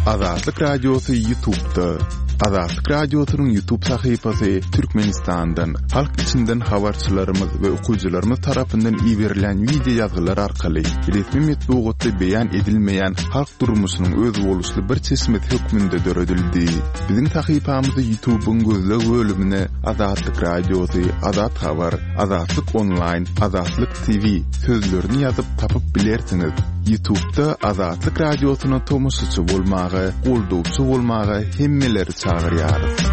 Azatlyk Radiosy Ýutubda. Azatlyk Radiosynyň Ýutub sahypasy Türkmenistandan, halk içinden habarçylarymyz we okyjylarymyz tarapyndan iberilen wideo ýazgylar arkaly resmi metbugatda beýan edilmeýän halk durmuşynyň özboluşly bir çeşmesi hökmünde döredildi. Biziň sahypamyzy Ýutubyň gözleg bölümine Azatlyk Radiosy, Azat Habar, Azatlyk Onlaýn, Azatlyk TV sözlerini ýazyp tapyp bilersiňiz. Ýutubda Azatlyk Radiosyna tomaşaçy bolmaga, goldawçy bolmaga hemmeleri çagyrýarys.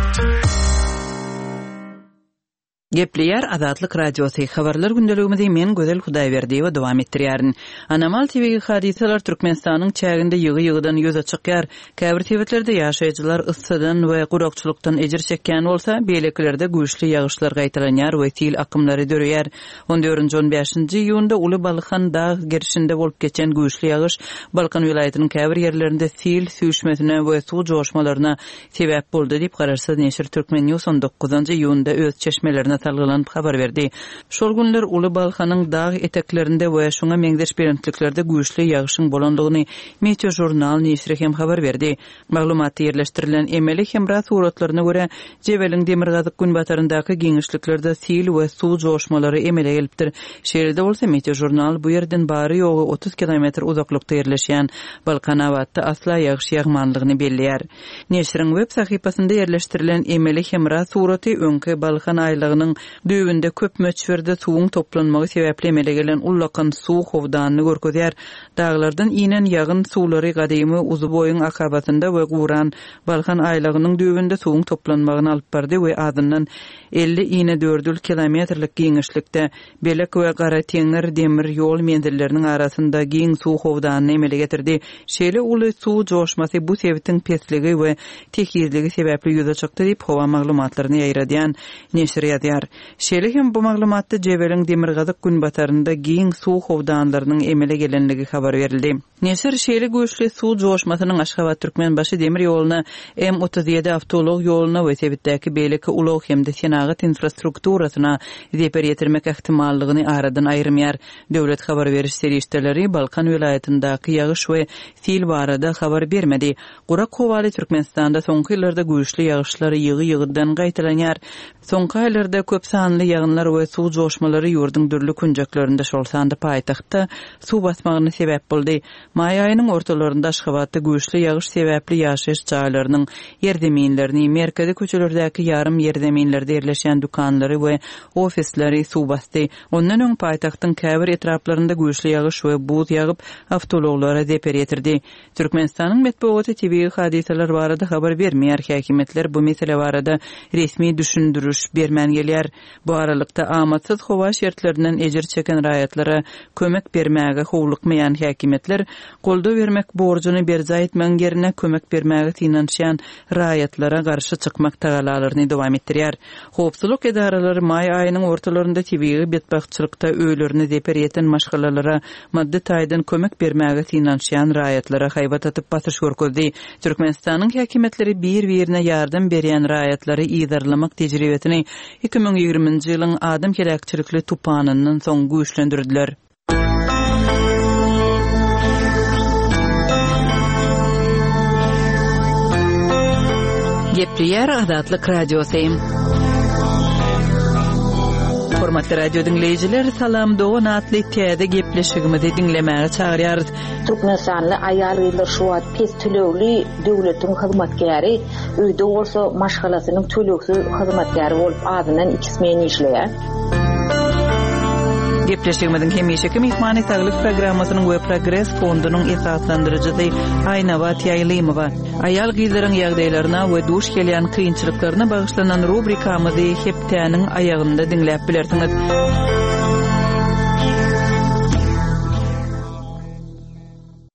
Gepleýär Azatlyk Radiosy, Habarlar gündeligimizi men Gözel Hudaýberdiýewa dowam etdirýärin. Anomal tebigy hadysalar Türkmenistanyň çäginde ýygy-ýygydan ýüze çykýar. Käbir sebitlerde ýaşaýjylar yssydan we gurakçylykdan ejir çekýän bolsa, beýlekilerde güýçli ýagyşlar gaýtalanýar we sil akymlary döreýär. On dördünji, on bäşinji iýunda Uly Balkan dag gerşinde bolup geçen güýçli ýagyş Balkan welaýatynyň käbir ýerlerinde sil süýşmesine we suw joşmalaryna sebäp boldy diýip, garaşsyz neşir Turkmen. News on dokuzynjy iýunda öz çeşmelerine salgylanyp habar berdi. Şol günler Uly Balkanyň dag eteklerinde we şuňa meňzeş belentliklerde güýçli ýagyşyň bolandygyny Meteožurnal neşiri hem habar berdi. Maglumatda ýerleşdirilen emeli hemra suratlaryna görä, Jebeliň demirgazyk-günbataryndaky giňişliklerde sil we suw joşmalary emele gelipdir. Şeýle-de bolsa, Meteožurnal bu ýerden bary-ýogy 30 kilometr uzaklykda ýerleşýän Balkanabatda asla ýagyş ýagmanlygyny belleýär. Neşiriň web sahypasynda ýerleşdirilen emeli hemra suraty öňki Balkan aýlagynyň düýbünde köp möçberde suwuň toplanmagy sebäpli emele gelen ullakan suw howdanyny görkezýär. Daglardan inen ýagyn suwlary gadymy Uzuboýuň akabasynda we guran Balkan aýlagynyň düýbünde suwuň toplanmagyna alyp bardy we azyndan 50 inedördül kilometrlik giňişlikde Belek we Garateňňir demir ýol menzilleriniň arasynda giň suw howdanyny emele getirdi. Şeýle uly suw joşmasy bu sebitiň pesligi we tekizligi sebäpli ýüze çykdy diýip, howa maglumatlaryny ýaýradýan neşir ýazýar. Şeýle hem bu maglumatda Jebeliň demirgazyk-günbatarynda giň suw howdanlarynyň emele gelenligi habar berildi. Neşir şeýle güýçli suw joşmasynyň Aşgabat-Türkmenbaşy demir ýoluna, M 37 awtoulag ýoluna we sebitdäki beýleki ulag hem-de senagat infrastrukturasyna zeper ýetirmek ähtimallygyny aradan aýyrmaýar. Döwlet habar beriş serişdeleri Balkan welaýatyndaky ýagyş we sil barada habar bermedi. Gurak howaly Türkmenistanda soňky ýyllarda güýçli ýagyşlar ýygy-ýygydan gaýtalanýar. Soňky aýlarda köp sanly ýagynlar we suw joşmalary ýurduň dürli künjeklerinde, şol sanda paýtagtda suw basmagyna sebäp boldy. Maý aýynyň ortalarynda Aşgabatda güýçli ýagyş sebäpli ýaşaýyş jaýlarynyň ýerzeminlerini, merkezi köçelerdäki ýarym ýerzeminlerde ýerleşýän dükanlary we ofisleri suw basdy. Ondan öň paýtagtyň käbir etraplarynda güýçli ýagyş we buz ýagyp, awtoulaglara zeper ýetirdi. Türkmenistanyň metbugaty tebigy hadysalar barada habar bermeýär, häkimiýetler bu mesele barada resmi düşündiriş bermän gelýär. Bu aralykda, amatsyz howa şertlerinden ejir çeken raýatlara kömek bermäge howlukmaýan häkimiýetler, goldaw bermek borjuny berjaý etmegiň ýerine kömek bermäge synanyşýan raýatlara garşy çykmak tagallalaryny dowam etdirýär. Howpsuzlyk edaralary maý aýynyň ortalarynda tebigy betbagtçylykda öýlerine zeper ýeten maşgalalara maddy taýdan kömek bermäge synanyşýan raýatlara haýbat atyp basyş görkezdi. Türkmenistanyň häkimiýetleri bir-birine ýardam berýän raýatlary yzarlamak tejribesini 2020-nji ýylyň adam heläkçilikli tupanyndan soň güýçlendirdiler. Gepleýär Azatlyk Radiosy. Hormatly radio diňleýjiler, Salam dogan atly täze gepleşigimizi diňlemäge çagyrýarys. Türkmenistanly aýal-gyzlar şu wagt pes tölegli döwletiň hyzmatkäri, öýde bolsa maşgalasynyň tölegsiz hyzmatkäri bolup azyndan iki smen işleýär. Gepleşigimiziň hemişeki myhmany Saglyk programmasynyň we Progres fondunyň esaslandyryjysy Aýnabat Ýaýlymowa. Aýal-gyzlaryň ýagdaýlaryna we duş gelýän kynçylyklaryna bagyşlanan rubrikamyzy hepdäniň aýagynda diňläp bilersiňiz.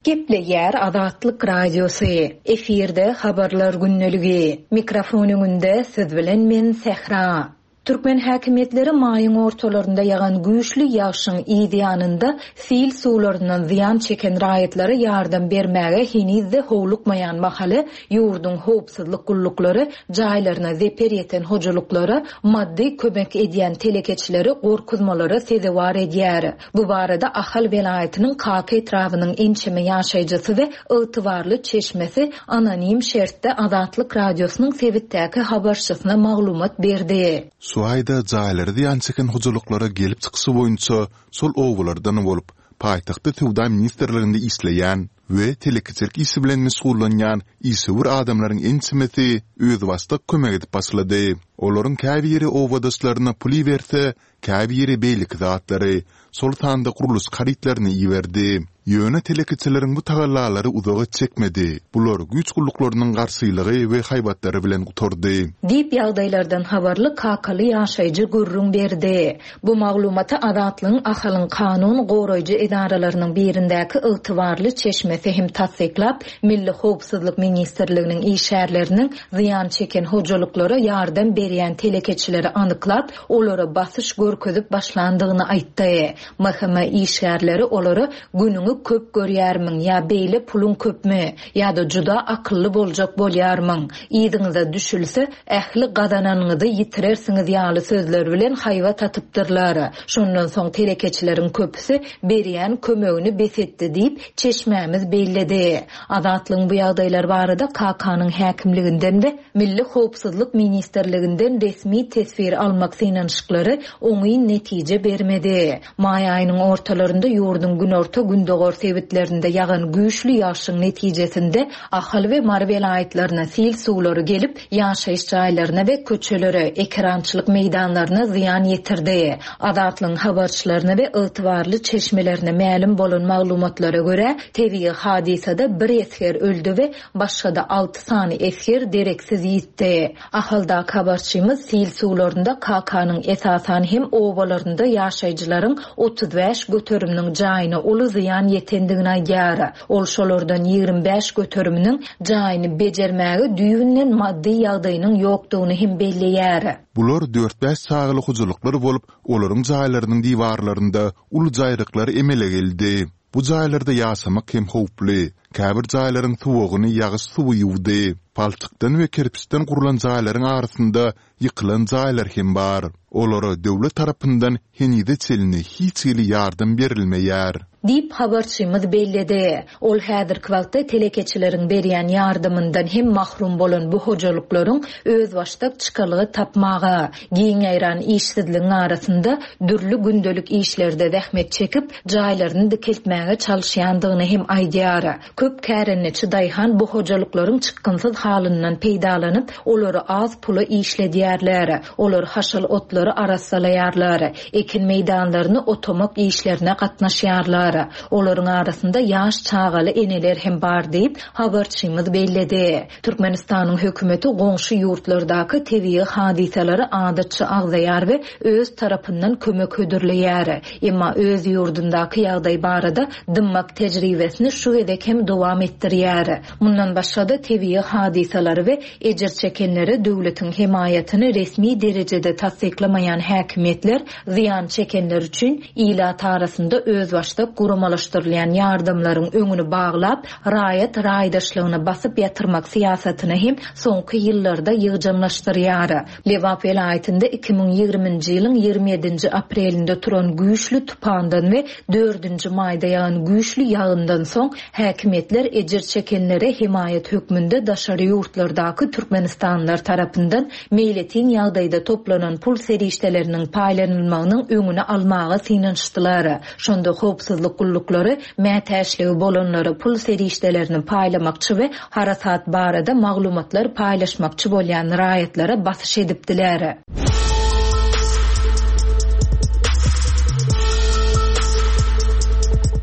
Gepleýär Azatlyk Radiosy, efirde Habarlar gündeligi. Mikrofon öňünde siz bilen men Sähra. Türkmen häkimiýetleri maýyň ortalarynda ýagan güýçli ýagşyň yz ýanynda sil suwlaryndan zyýan çeken raýatlara ýardam bermäge heniz-de howlukmaýan mahaly, ýurduň howpsuzlyk gulluklary jaýlaryna zeper ýeten hojalyklara maddy kömek edýän telekeçileri gorkuzmalara sezewar edýär. Bu barada Ahal welaýatynyň Kaka etrabynyň ençeme ýaşaýjysy we ygtybarly çeşmesi anonim şertde Azatlyk Radiosynyň sebitdäki habarçysyna maglumat berdi. Şu aýda jaýlary zyýan çeken hojalyklara gelip çykyşy boýunça şol obalardan bolup, paýtagtda Söwda ministrliginde işleýän we telekeçilik işi bilen meşgullanýan işewür adamlaryň ençemesi özbaşdak kömek edip başlady. Olaryň käbiri obadaşlaryna pul iberse, käbiri beýleki zatlary, şol sanda gurluşyk harytlaryny iberdi. Ýöne telekeçileriň bu tagallalary uzaga çekmedi, bular güýç gulluklarynyň garşylygy we haýbatlary bilen gutardy. Diýip, ýagdaýlardan habarly kakaly ýaşaýjy gürrüň berdi. Bu maglumaty Azatlygyň Ahalyň kanun goraýjy edaralarynyň birindäki ygtybarly çeşmesi hem tassyklap, Milli howpsuzlyk ministrliginiň işgärleriniň zyýan çeken hojalyklara ýardam berýän telekeçileri anyklap, olara basyş görkezip başlandygyny aýtdy. MHM işgärleri olara günüňi köp görýärmiň ýa beýle puluň köpmi, ýa-da juda akylly boljak bolýarmyň, yzyňyza düşülse, ähli gazananyňyzy ýitirersiňiz ýaly sözler bilen haýbat atypdyrlar. Şondan soň telekeçileriň köpüsi berýän kömegini bes etdi diýip, çeşmämiz belledi. Azatlygyň bu ýagdaýlar barada Kakanyň häkimliginden we Milli howpsuzlyk ministrliginden resmi teswir almak synanyşyklary oňyn netije bermedi. Maý aýynyň ortalarynda ýurduň günorta-gündogar sebitlerinde ýagan güýçli ýagşyň netijesinde Ahal we Mary welaýatlaryna sil suwlary gelip, ýaşaýyş jaýlaryna we köçelere, ekerançylyk meýdanlaryna zyýan ýetirdi. Azatlygyň habarçylaryna we ygtybarly çeşmelerine mälim bolan maglumatlara görä, tebigy hadysada bir esger öldi we Başga-da alty sany esger dereksiz ýitdi. Ahaldaky habarçymyz sil suwlarynda Kakanyň esasan hem obalarynda ýaşaýjylaryň 35 göteriminiň jaýyna uly zyýan ýetendigini aýdýar. Ol şolardan 25 göteriminiň jaýyny bejermäge düýbünden maddy ýagdaýynyň ýokdugyny hem belleýär. Bular dört-bäş çagaly hojalyklar bolup, olaryň jaýlarynyň diwarlarynda uly jaýryklar emele geldi. Bu jaýlarda ýaşamak hem howply. Käbir jaýlaryň suwagyny ýagyş suwy ýuwdy. Palçykdan we kerpiçden gurlan jaýlaryň arasynda ýykylan jaýlar hem bar. Olara döwlet tarapyndan henize çenli hiç hili ýardam berilmeýär. Diýip, habarçymyz belledi. Ol häzirki wagtda telekeçileriň berýän ýardamyndan hem mahrum bolan bu hojalyklaryň özbaşdak çykalga tapmaga, giň ýaýran işsizligiň arasynda dürli gündelik işlerde zähmet çekip, jaýlaryny dikeltmäge çalyşýandygyny hem aýdýar. Köp kärendeçi daýhan bu hojalyklaryň çykgynsyz halyndan peýdalanyp, olary az pula işledýärler. Olar haşal otlary arassalaýarlar, ekin meýdanlaryny otamak işlerine gatnaşýarlar. Olaryň arasynda ýaş çagaly eneler hem bar diýip, habarçymyz belledi. Türkmenistanyň hökümeti goňşy ýurtlardaky tebigy hadysalary adatça agzaýar we öz tarapyndan kömek hödürleýär. Emma öz ýurdundaky ýagdaý barada dymmak tejribesini şu gezek hem dowam etdirýär. Mundan başga-da tebigy hadysalary we ejir çekenlere döwletiň hemaýatyny resmi derejede tassyklamaýan häkimiýetler zyýan çekenler üçin ilat arasynda özbaşdak guramalaşdyrylýan ýardamlaryň öňüni baglap, raýat raýdaşlygyny basyp ýatyrmak syýasatyny hem soňky ýyllarda ýygjamlaşdyrýar. Lebap welaýatynda 2020-nji ýylyň 27-nji aprelinde turan güýçli tupandan we dördünji maýda ýagan güýçli ýagyndan soň häkimiýetler ejir çekenlere hemaýat hökmünde daşary ýurtlardaky türkmenistanlylar tarapyndan meýletin ýagdaýda toplanan pul serişdeleriniň paýlanylmagynyň öňüni almaga synanyşdylar. Şonda howpsuzlyk gulluklary mätäçligi bolanlara pul serişdelerini paýlamakçy we harasat barada maglumatlar paýlaşmakçy bolýan raýatlara basyş edipdiler.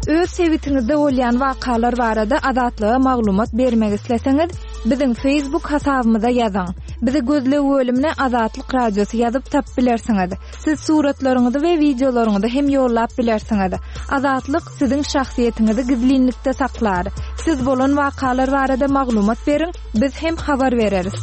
Öz sebitiňizde bolýan wakalar barada Azatlyga maglumat bermek isleseňiz, biziň Facebook hasabymyza ýazyň. Bizi gözleg bölümine Azatlyk Radiosy ýazyp tapyp bilersiňiz. Siz suratlaryňyzy we wideolaryňyzy hem ýollap bilersiňiz. Azatlyk siziň şahsyýetiňizi gizlinlikde saklar. Siz bolan wakalar barada maglumat beriň, biz hem habar bereris.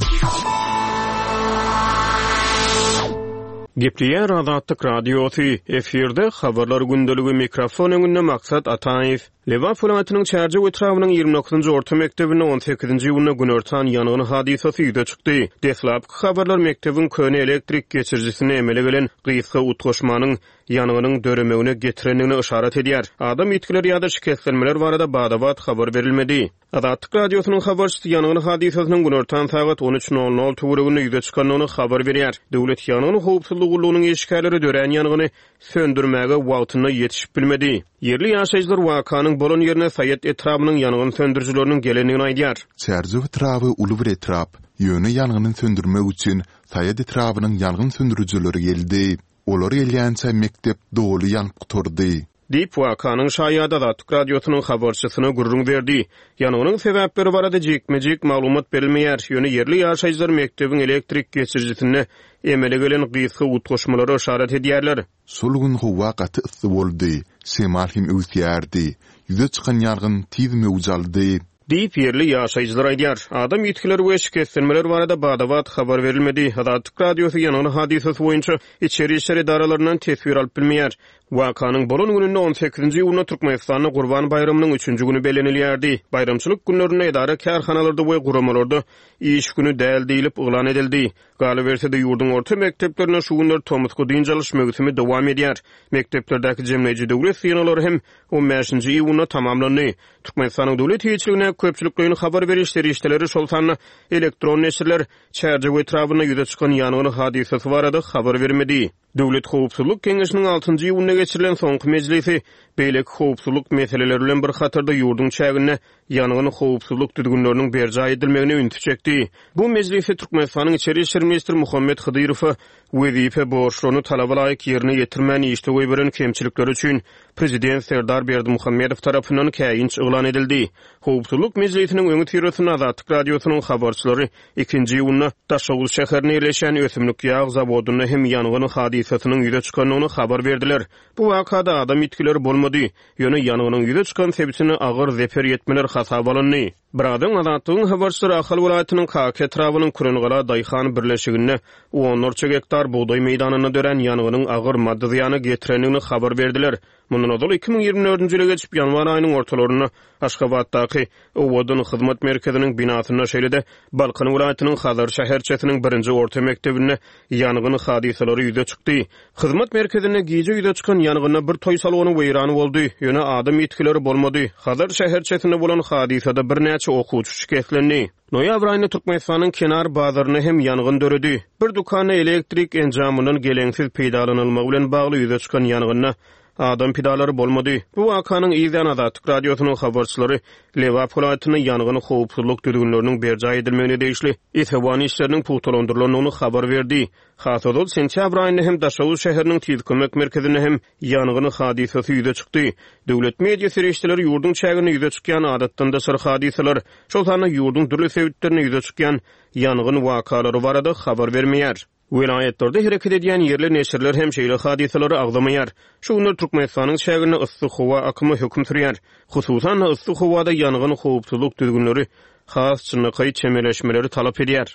Gepleýär Azatlyk Radiosy, efirde Habarlar gündeligi, mikrofon öňünde Maksat Ataýew. Lebap welaýatynyň Çärjew etrabynyň 29-njy orta mekdebinde 18-nji iýunda günortan ýangyn hadysasy ýüze çykdy. Deslapky habarlar mekdebiň köne elektrik geçirijisinde emele gelen gysga utgaşmanyň ýangynyň döremegine getirendigine yşarat edýär. Adam ýitgileri ýa-da şikeslenmeler barada bada-bat habar berilmedi. Azatlyk Radiosynyň habarçysy ýangyn hadysasynyň günortan sagat on üç nol nol töwereginde ýüze çykandygyny habar berýär. Döwlet ýangyn howpsuzlygy gullugynyň işgärleri dörän ýangyny söndürmäge wagtynda ýetişip bilmedi. Ýerli ýaşaýjylar wakanyň bolan ýerine Saýat etrabynyň ýangyn söndürijileriniň gelendigini aýdýar. Çärjew etraby uly bir etrap. Ýöne ýangyny söndürmek üçin Saýat etrabynyň ýangyn söndürijileri geldi. Olar gelýänçä mekdep doly ýanyp gutardy. Diýip, wakanyň şaýady Azatlyk Radiosynyň habarçysyna gürrüň berdi. Ýangynyň sebäpleri barada jikme-jik maglumat berilmeýär, ýöne ýerli ýaşaýjylar mekdebiň elektrik geçirijisinde emele gelen gysga utgaşmalara yşarat edýärler. Şol gün howa gaty yssy boldy, şemal hem öwüsýärdi. Ýüze çykan ýangyn tiz möwç aldy. Diýip, ýerli ýaşaýjylar aýdýar. Adam ýitgileri we şikeslenmeler barada bada-bat habar berilmedi. Azatlyk Radiosy ýangyn hadysasy boýunça içeri işler edaralaryndan teswir alyp bilmeýär. Wakanyň bolan gününde, on sekizinji iýunda Türkmenistanda Gurban baýramynyň üçünji güni bellenilýärdi. Baýramçylyk günlerinde edara-kärhanalarda we guramalarda iş güni däl diýlip yglan edildi. Galyberse-de, ýurduň orta mekdeplerinde şu günler tomusky dynç alyş möwsümi dowam edýär. Mekdeplerdäki jemleýji döwlet synaglary hem on bäşinji iýunda tamamlandy. Türkmenistanyň döwlet eýeçiligindäki köpçülikleýin habar beriş serişdeleri, şol sanda elektron neşirler Çärjew etrabynda ýüze çykan ýangyn hadysasy barada habar bermedi. Döwlet howpsuzlyk geňeşiniň altynjy iýunda geçirilen soňky mejlisi beýleki howpsuzlyk meseleleri bilen bir hatarda ýurduň çäginde ýangyn howpsuzlyk düzgünleriniň berjaý edilmegine ünsi çekdi. Bu mejlisde Türkmenistanyň içeri işler ministri Muhammet Hydyrowa wezipe borçlaryny talaba laýyk ýerine ýetirmän işde goýberen kemçilikleri üçin prezident Serdar Berdimuhamedow tarapyndan käýinç yglan edildi. Howpsuzlyk mejlisiniň öňüsyrasynda Azatlyk Radiosynyň habarçylary ikinji iýunda Daşoguz şäherinde ýerleşýän ösümlik ýag zawodynda hem ýangyn hadysasynyň ýüze çykandygyny habar berdiler. Bu wakada adam ýitgileri bolmady, ýöne ýangynyň ýüze çykan sebitine agyr zeper ýetmeler hasaba alyndy. Birazdan Azatlygyň habarçylary Ahal welaýatynyň Kaka etrabynyň Kürengala daýhan birleşiginde onlarça gektar bugdaý meýdanynda dörän ýangynyň agyr maddy zyýana getirendigini habar berdiler. Mundan ozal 2024-nji ýyla geçip, ýanwar aýynyň ortalarynda Aşgabatdaky Owadan hyzmat merkeziniň binasynda, şeýle-de Balkan welaýatynyň Hazar şäherçesiniň birinji orta mekdebinde ýangyn hadysalary ýüze çykdy. Hyzmat merkezinde gije ýüze çykan ýangynda bir toý salony weýran boldy, ýöne adam ýitgileri bolmady. Hazar şäherçesinde bolan hadysada birnäçe okuwçy şikeslendi. Noýabr aýynda Türkmenistanyň Kenar bazarynda hem ýangyn döredi. Bir dükanda elektrik enjamyndan geleňsiz peýdalanylmagy bilen bagly ýüze çykan ýangynda adam pidalary bolmady. Bu wakanyň yz ýany Azatlyk Radiosynyň habarçylary Lebap welaýatynda ýangyn howpsuzlyk düzgünleriniň berjaý edilmegine degişli esewan işleriniň pugtalandyrylandygyny habar berdi. Has ozal, sentýabr aýynda hem Daşoguz şäheriniň Tiz kömek merkezinde hem ýangyn hadysasy ýüze çykdy. Döwlet media serişdeleri ýurduň çäginde ýüze çykýan adatdan daşary hadysalar, şol sanda ýurduň dürli sebitlerinde ýüze çykýan ýangyn wakalary barada habar bermeýär. Welaýatlarda hereket edýän ýerli neşirler hem şeýle hadysalary agzamaýar. Şu günler Türkmenistanyň çäginde yssy howa akymy höküm sürýär. Hususan-da, yssy howada ýangyn howpsuzlyk düzgünleri has çynlakaý çemeleşmeleri talap edýär.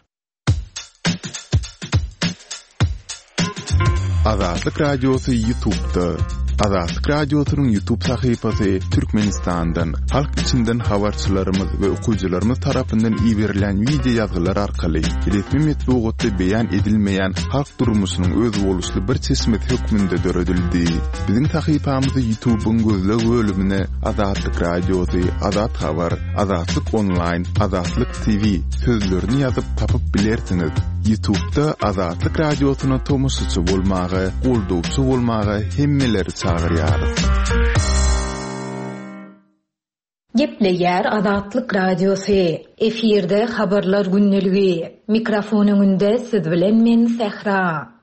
Azatlyk Radiosy Ýutubda. Azatlyk Radiosynyň Ýutub sahypasy Türkmenistandan, halk içinden habarçylarymyz we okyjylarymyz tarapyndan iberilen wideo ýazgylar arkaly resmi metbugatda beýan edilmeýän halk durmuşynyň özboluşly bir çeşmesi hökmünde döredildi. Biziň sahypamyzy Ýutubyň gözleg bölümine Azatlyk Radiosy, Azat Habar, Azatlyk Onlaýn, Azatlyk TV sözlerini ýazyp tapyp bilersiňiz. Ýutubda Azatlyk Radiosyna tomaşaçy bolmaga, goldawçy bolmaga hemmeleri çagyrýarys. Gepleýär Azatlyk Radiosy, Efirde Habarlar gündeligi. Mikrofon öňünde siz bilen men Sähra.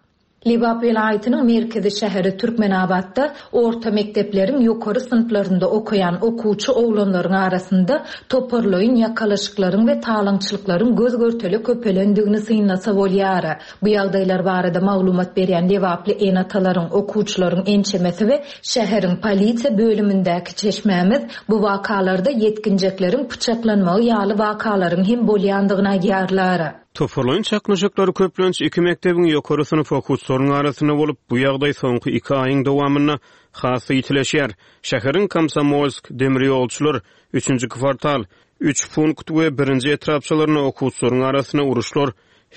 Lebap welaýatynyň merkezi şäheri Türkmenabatda orta mekdepleriň ýokary synplarynda okaýan okuwçy oglanlaryň arasynda toparlaýyn ýakalaşyklaryň we talaňçylyklaryň göz-görtele köpelendigini synlasa bolýar. Bu ýagdaýlar barada maglumat berýän lebaply ene-atalaryň, okuwçylaryň ençemesi we şäheriň polisiýa bölümindäki çeşmämiz bu wakalarda ýetginjekleriň pyçaklanmagy ýaly wakalaryň hem bolýandygyny aýdýarlar. Toparlaýyn çaknyşyklar köplenç iki mekdebiň ýokary synp okuwçylarynyň arasynda bolup, bu ýagdaý soňky iki aýyň dowamynda has-da ýitileşýär. Şäheriň Komsomolsk, Demirýolçylar, Üçünji kwartal, Üç punkt we Birinji etrapçalarynda okuwçylaryň arasynda uruşlar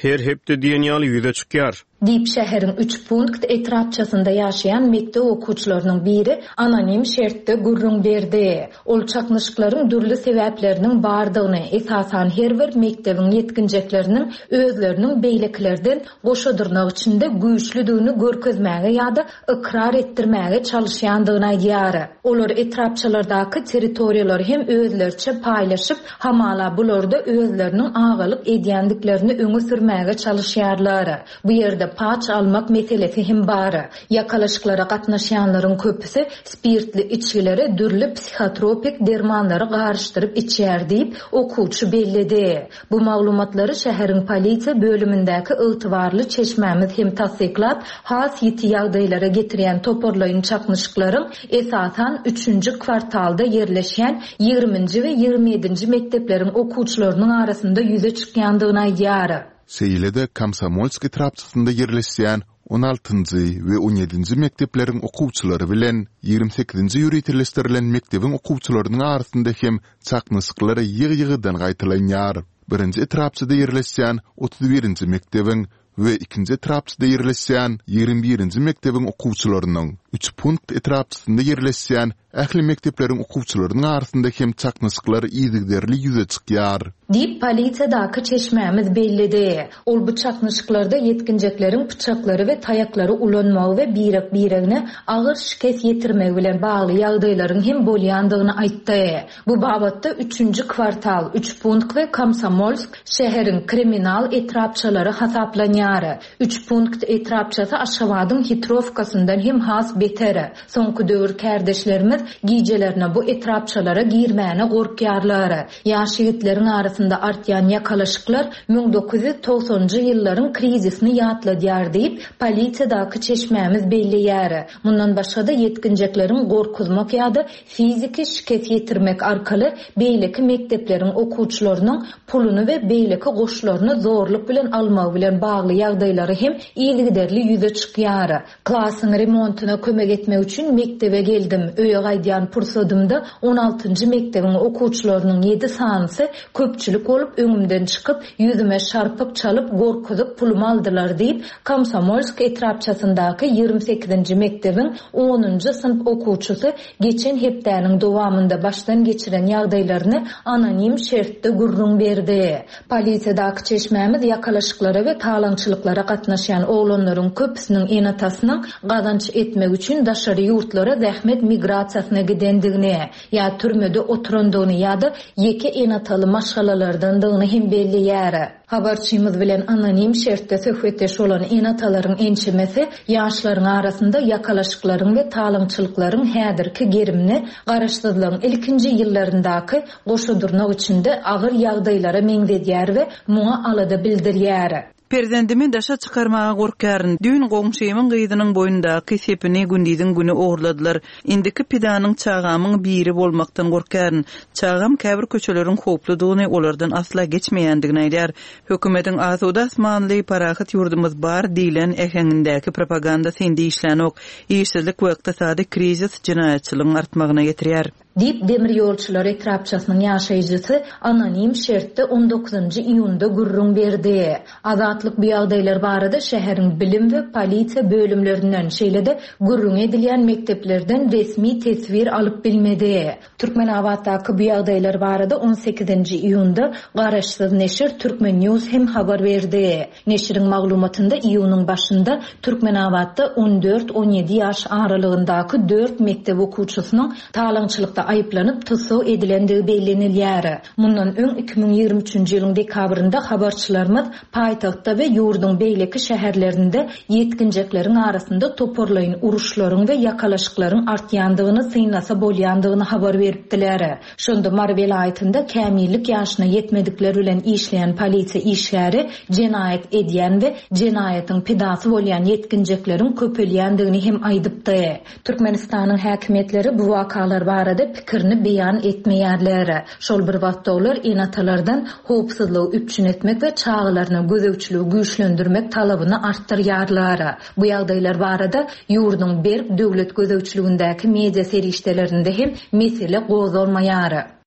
her hepde diýen ýaly ýüze çykýar. Diýip, şäheriň Üçpunkt etrapçasynda ýaşaýan mekdep okuwçylarynyň biri anonim şertde gürrüň berdi. Ol çaknyşyklaryň dürli sebäpleriniň bardygyny, esasan her bir mekdebiň ýetginjekleriniň özleriniň beýlekilerden goşa dyrnak içinde güýçlüdigini görkezmäge ýa-da ykrar etdirmäge çalyşýandygyny aýdýar. Olar etrapçalardaky territoriýalary hem özleriçe paýlaşyp, hamala bularda özleriniň agalyk edýändiklerini öňe sürmäge çalyşýarlar. Bu ýerde paç almak meselesi hem bar. Ýakalaşyklara gatnaşýanlaryň köpüsi spirtli içgilere dürli psihotropik dermanlary garyşdyryp içýär diýip, okuwçy belledi. Bu maglumatlary şäheriň polisiýa bölümindäki ygtybarly çeşmämiz hem tassyklap, has ýiti ýagdaýlara getirýän toparlaýyn çaknyşyklaryň esasan üçünji kwartalda ýerleşýän ýigriminji we 27-nji mekdepleriň okuwçylarynyň arasynda ýüze çykýandygyny aýdýar. Şeýle-de Komsomolsk etrapçasynda ýerleşýän on altynjy we on ýedinji mekdepleriň okuwçylary bilen 28-nji ýöriteleşdirilen mekdebiň okuwçylarynyň arasynda hem çaknyşyklar ýygy-ýygydan gaýtalanýar. Birinji etrapçada ýerleşýän 31-nji mekdebiň we ikinji etrapçada ýerleşýän 21-nji mekdebiň okuwçylarynyň, Üçpunkt etrapçasynda ýerleşýän Ähli mekdepleriň okuwçylarynyň arasynda hem çaknyşyklar yzygiderli ýüze çykýar. Diýip, polisiýadaky çeşmämiz belledi. Ol bu çaknyşyklarda ýetginjekleriň pyçaklary we taýaklary ulanmagy we birek-biregine agyr şikes ýetirmegi bilen bagly ýagdaýlaryň hem bolýandygyny aýtdy. Bu babatda üçünji kwartal, Üçpunkt we Komsomolsk şäheriň kriminal etrapçalary hasaplanýar. Üçpunkt etrapçasy Aşgabadyň Hitrowkasyndan hem has beter. Soňky döwür kärdeşlerimiz gijelerine bu etrapçalara girmäne gorkýarlar. Ýaş ýigitleriň arasynda artýan ýakalaşyklar 1990-njy ýyllaryň krizisini ýatladýar diýip, polisiýadaky çeşmämiz belleýär. Mundan başga-da ýetginjekleriň gorkuzmak ýa-da fiziki şikes ýetirmek arkaly beýleki mekdepleriň okuwçylarynyň puluny we beýleki goşlaryny zorluk bilen almagy bilen bagly ýagdaýlary hem yzygiderli ýüze çykýar. Klasyň remontyna kömek etmek üçin mekdebe geldim. Öýe gaýdýan pursadymda on altynjy mekdebiň okuwçylarynyň ýedi sanysy köpçülik bolup öňümden çykyp, ýüzüme şarpyk çalyp, gorkuzyp pulumy aldylar diýip, Komsomolsk etrapçasyndaky 28-nji mekdebiň onunjy synp okuwçysy geçen hepdäniň dowamynda başdan geçiren ýagdaýlaryny anonim şertde gürrüň berdi. Polisiýadaky çeşmämiz ýakalaşyklara we talaňçylyklara gatnaşýan oglanlaryň köpüsiniň ene-atasynyň gazanç etmek üçin daşary ýurtlara zähmet migrasiýasyna gidendigini, ýa türmede oturandygyny ýa-da ýeke ene-ataly maşgalalardandygyny hem belleýär. Habarçymyz bilen anonim şertde söhbetdeş bolan ene-atalaryň ençemesi ýaşlaryň arasynda ýakalaşyklaryň we talaňçylyklaryň häzirki gerimini garaşsyzlygyň ilkinji ýyllaryndaky goşa dyrnak içinde agyr ýagdaýlara meňzedýär we muňa alada bildirýär. Perzendimi daşa çykarmaga gorkýaryn. Düýn goňşymyň gyzynyň boýnundaky sepini gündiziň güni ogurladylar. Indiki pidanyň çagamyň biri bolmakdan gorkýaryn. Çagam käbir köçeleriň howpludygyny, olardan asla geçmeýändigini aýdýar. Hökümetiň asuda asmanly, parahat ýurdumyz bar diýlen äheňindäki propagandasy indi işlänok. Işsizlik we ykdysady krizis jenaýatçylygyň artmagyna getirýär. Diýip, Demirýolçylar etrapçasynyň ýaşaýjysy anonim şertde on dokuzynjy iýunda gürrüň berdi. Azatlyk bu ýagdaýlar barada şäheriň bilim we polisiýa bölümlerinden, şeýle-de gürrüňi edilýän mekdeplerden resmi teswir alyp bilmedi. Türkmenabatdaky bu ýagdaýlar barada on sekizinji iýunda garaşsyz neşir Turkmen. News hem habar berdi. Neşiriň maglumatynda iýunyň başynda Türkmenabatda on dört-on ýedi ýaş aralygyndaky dört mekdep okuwçysynyň talaňçylykda aýyplanyp tussag edilendigi bellenilýär. Mundan öň 2023-nji ýylyň dekabrynda habarçylarymyz paýtagtda we ýurduň beýleki şäherlerinde ýetginjekleriň arasynda toparlaýyn uruşlaryň we ýakalaşyklaryň artýandygyny synlasa bolýandygyny habar beripdiler. Şonda Mary welaýatynda kämillik ýaşyna ýetmedikler bilen işleýän polisiýa işgäri jenaýat edýän we jenaýatyň pidasy bolýan ýetginjekleriň köpelýändigini hem aýdypdy. Türkmenistanyň häkimiýetleri bu wakalar barada. pikirini beýan etmeýärler. Şol bir wagtda olar ene-atalardan howpsuzlygy üpjün etmek we çagalaryna gözegçiligi güýçlendirmek talabyny artdyrýarlar. Bu ýagdaýlar barada ýurduň berk döwlet gözegçiligindäki media serişdelerinde hem mesele gozgalmaýar.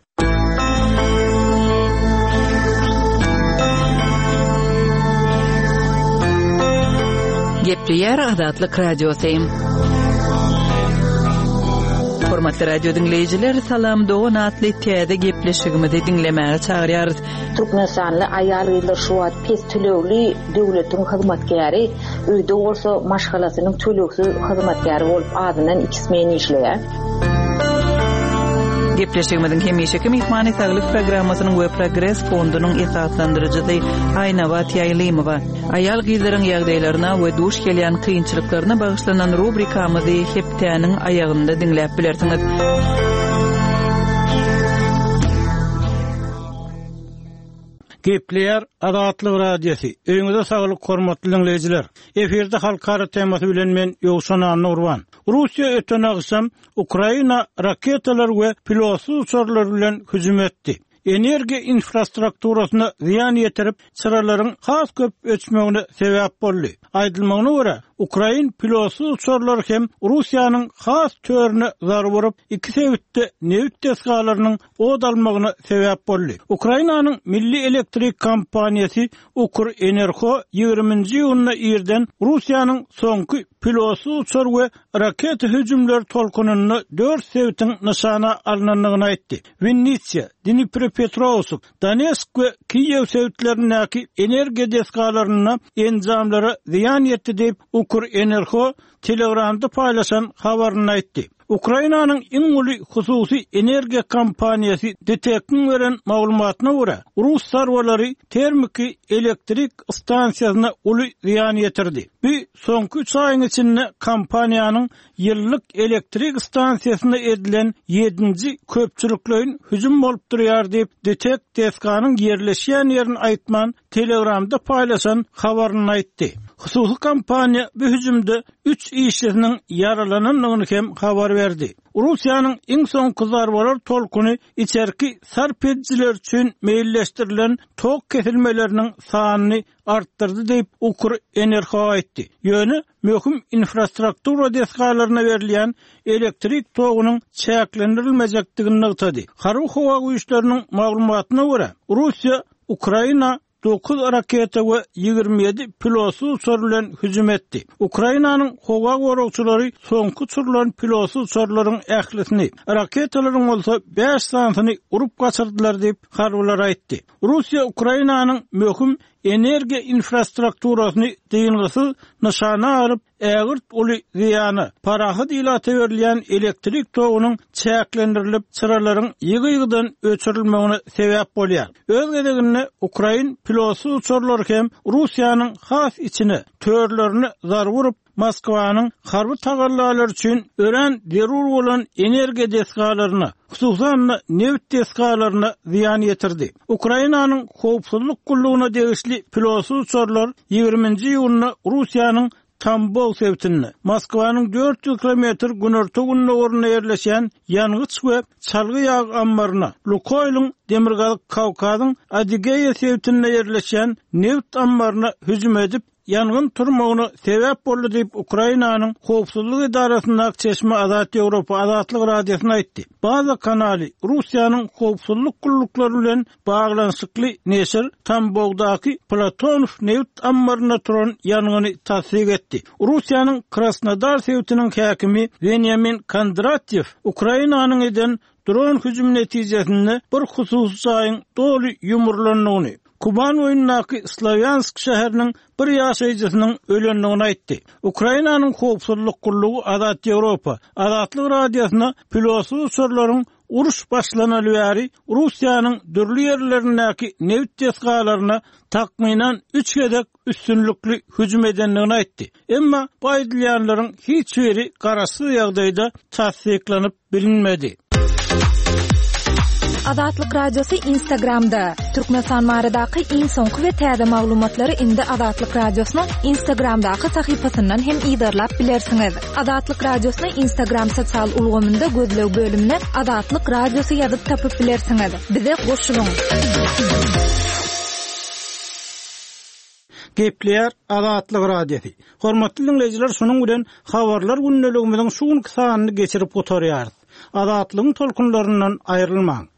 Gepleýär Azatlyk Radiosy. Hormatly radio diňleýjiler, Salam dogan atly täze gepleşigimizi diňlemäge çagyrýarys. Türkmenistanly aýal-gyzlar şu wagt pes tölegli döwletiň hyzmatkäri, öýde bolsa maşgalasynyň tölegsiz hyzmatkäri bolup azyndan iki smen işleýär. Gepleşigimiziň hemişeki myhmany Saglyk programmasynyň we Progres fondunyň esaslandyryjysy Aýnabat Ýaýlymowa. Aýal-gyzlaryň ýagdaýlaryna we duş gelýän kynçylyklaryna bagyşlanan rubrikamyzy hepdäniň aýagynda diňläp bilersiňiz. Gepleýär Azatlyk Radiosy. Öýüňize saglyk hormatly diňleýjiler. Efirde halkara temasy bilen men Ýowşan Annagurban. Russiýa öten agşam Ukraina raketalar we pilotsyz uçarlar bilen hüjüm etdi. Energiýa infrastrukturasyna zyýan ýetirip, çyralaryň has köp öçmegine sebäp boldy. Aýdylmagyna görä, ukrain pilotsyz uçarlary hem Russiýanyň has törüne zarba urup, iki sebitde nebit desgalarynyň ot almagyna sebäp boldy. Ukrainanyň milli elektrik kompaniýasy Ukrenerho ýigriminji iýunda irden Russiýanyň soňky pilotsyz uçar we raketa hüjümleri tolkunynda dört sebitiň nyşana alnandygyny aýtdy. Winnitsia, Dniprepetrowsk, Donetsk we Kiýew sebitlerindäki energiýa desgalarynda enjamlara zyýan ýetdi diýip, Ukrenerho Telegramda paýlaşan habarynda aýtdy. Ukrainanyň iň uly hususy energiýa kompaniýasy DTEK-iň beren maglumatyna görä, rus zarbalary termiki elektrik stansiýasyna uly zyýan ýetirdi. Bu soňky üç aýyň içinde kompaniýanyň ýyllyk elektrik stansiýasyna edilen ýedinji köpçülikleýin hüjüm bolup durýar diýip, DTEK desganyň ýerleşýän ýerini aýtman, Telegramda paýlaşan habarynda aýtdy. Hususy kompaniýa bu hüjümde üç işçisiniň ýaralanandygyny hem habar berdi. Russiýanyň iň soňky zarbalar tolkuny içerki sarp edijiler üçin meýilleşdirilen tok kesilmeleriniň sanyny artdyrdy diýip, Ukrenergo aýtdy. Ýöne möhüm infrastruktura desgalaryna berilýän elektrik togunyň çäklendirilmejekdigini nygtady. Harby-howa güýçleriniň maglumatyna görä, Russiýa Ukraina dokuz raketa we 27 pilotsyz uçar bilen hüjüm etdi. Ukrainanyň howa goragçylary soňky uçurylan pilotsyz uçarlaryň ählisini, raketalaryň bolsa bäş sanysyny urup gaçyrdylar diýip, harbylar aýtdy. Russiýa Ukrainanyň möhüm energiýa infrastrukturasyny dyngysyz nyşana alyp, ägirt uly zyýana, parahat ilata berilýän elektrik togunyň çäklendirilip, çyralaryň ýygy-ýygydan öçürilmegine sebäp bolýar. Öz gezeginde, ukrain pilotsyz uçarlary hem Russiýanyň has içine, törlerine zarba urup, Moskwanyň harby tagallalary üçin örän zerur bolan energiýa desgalaryna, hususan-da, nebit desgalaryna zyýan ýetirdi. Ukrainanyň howpsuzlyk gullugyna degişli pilotsyz uçarlar ýigriminji iýunda Russiýanyň Tambow sebitinde, Moskwanyň 400 kilometr günorta-gündogarynda ýerleşýän ýangyç we çalgy ýag ammaryna, Lukoýlyň Demirgazyk Kawkazyň Adigeýa sebitinde ýerleşýän nebit ammaryna hüjüm edip, ýangyn turmagyna sebäp boldy diýip, Ukrainanyň howpsuzlyk edarasyndaky çeşme Azat Ýewropa Azatlyk Radiosyna aýtdy. Baza kanaly Russiýanyň howpsuzlyk gulluklary bilen baglanyşykly neşir Tambowdaky Platonow nebit ammarynda turan ýangyny tassyk etdi. Russiýanyň Krasnodar sebitiniň häkimi Wenýamin Kondratýew Ukrainanyň eden Dron hüjümi netijesinde bir hususy jaýyň doly ýumrulandygyny, Kuban boýundaky Slowýansk şäheriniň bir ýaşaýjysynyň ölendigini aýtdy. Ukrainanyň howpsuzlyk gullugy Azat Ýewropa, Azatlyk Radiosyna pilotsyz uçarlaryň uruş başlanaly bäri Russiýanyň dürli ýerlerindäki nebit desgalaryna takmynan üç gezek üstünlikli hüjüm edendigini aýtdy. Emma bu aýdylýanlaryň hiç biri garaşsyz ýagdaýda tassyklanyp bilinmedi. Azatlyk Radiosy Instagramda! Türkmenistan baradaky iň soňky we täze maglumatlary indi Azatlyk Radiosynyň Instagramdaky sahypasyndan hem yzarlap bilersiňiz. Azatlyk Radiosyny Instagram sosial ulgamynda gözleg bölümine Azatlyk Radiosy ýazyp tapyp bilersiňiz. Bize goşulyň! Gepleýär Azatlyk Radiosy. Hormatly diňleýjiler şunuň bilen Habarlar gündeligimiziň şu günki sanyny geçirip gutarýarys. Azatlygyň tolkunlaryndan aýrylmaň!